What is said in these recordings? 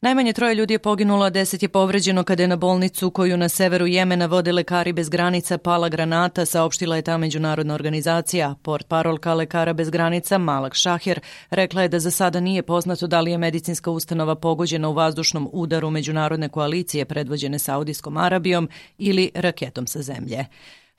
Najmanje 3 ljudi je poginulo, a 10 je povređeno kada je na bolnicu koju na severu Jemena vode Lekari bez granica pala granata, saopštila je ta međunarodna organizacija. Portparolka Lekara bez granica Malak Šaher rekla je da za sada nije poznato da li je medicinska ustanova pogođena u vazdušnom udaru međunarodne koalicije predvođene Saudijskom Arabijom ili raketom sa zemlje.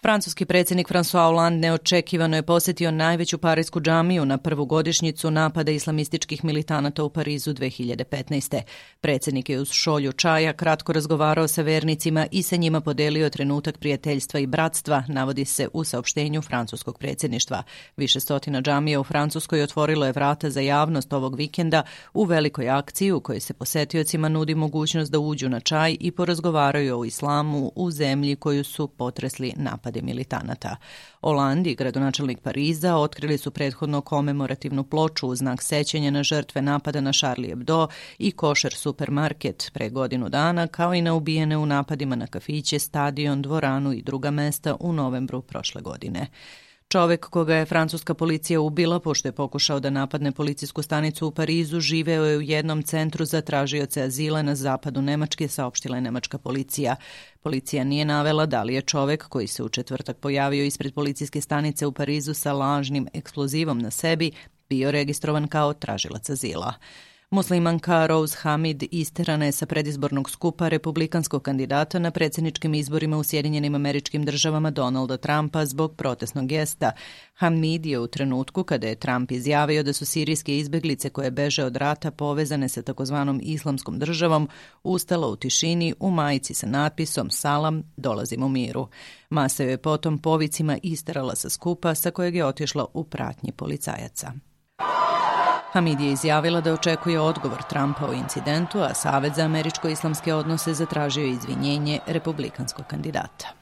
Francuski predsjednik François Hollande neočekivano je posjetio najveću parijsku džamiju na prvu godišnjicu napada islamističkih militanata u Parizu 2015. Predsjednik je uz šolju čaja kratko razgovarao sa vernicima i sa njima podelio trenutak prijateljstva i bratstva, navodi se u saopštenju francuskog predsjedništva. Više stotina džamija u Francuskoj otvorilo je vrata za javnost ovog vikenda u velikoj akciji u kojoj se posetiocima nudi mogućnost da uđu na čaj i porazgovaraju o islamu u zemlji koju su potresli napad militanata. Hollande i gradonačelnik Pariza otkrili su prethodno komemorativnu ploču u znak sećanja na žrtve napada na Charlie Hebdo i košer supermarket pre godinu dana, kao i na ubijene u napadima na kafiće, stadion, dvoranu i druga mesta u novembru prošle godine. Čovek koga je francuska policija ubila pošto je pokušao da napadne policijsku stanicu u Parizu živeo je u jednom centru za tražioce azila na zapadu Nemačke, saopštila je nemačka policija. Policija nije navela da li je čovek koji se u četvrtak pojavio ispred policijske stanice u Parizu sa lažnim eksplozivom na sebi bio registrovan kao tražilac azila. Muslimanka Rose Hamid isterana je sa predizbornog skupa republikanskog kandidata na predsjedničkim izborima u Sjedinjenim Američkim Državama Donalda Trumpa zbog protestnog gesta. Hamid je u trenutku kada je Trump izjavio da su sirijske izbeglice koje beže od rata povezane sa takozvanom islamskom državom ustala u tišini u majici sa natpisom Salam, dolazim u miru. Masa je potom povicima isterala sa skupa sa kojeg je otišla u pratnji policajaca. Hamid je izjavila da očekuje odgovor Trumpa o incidentu, a Savet za američko-islamske odnose zatražio izvinjenje republikanskog kandidata.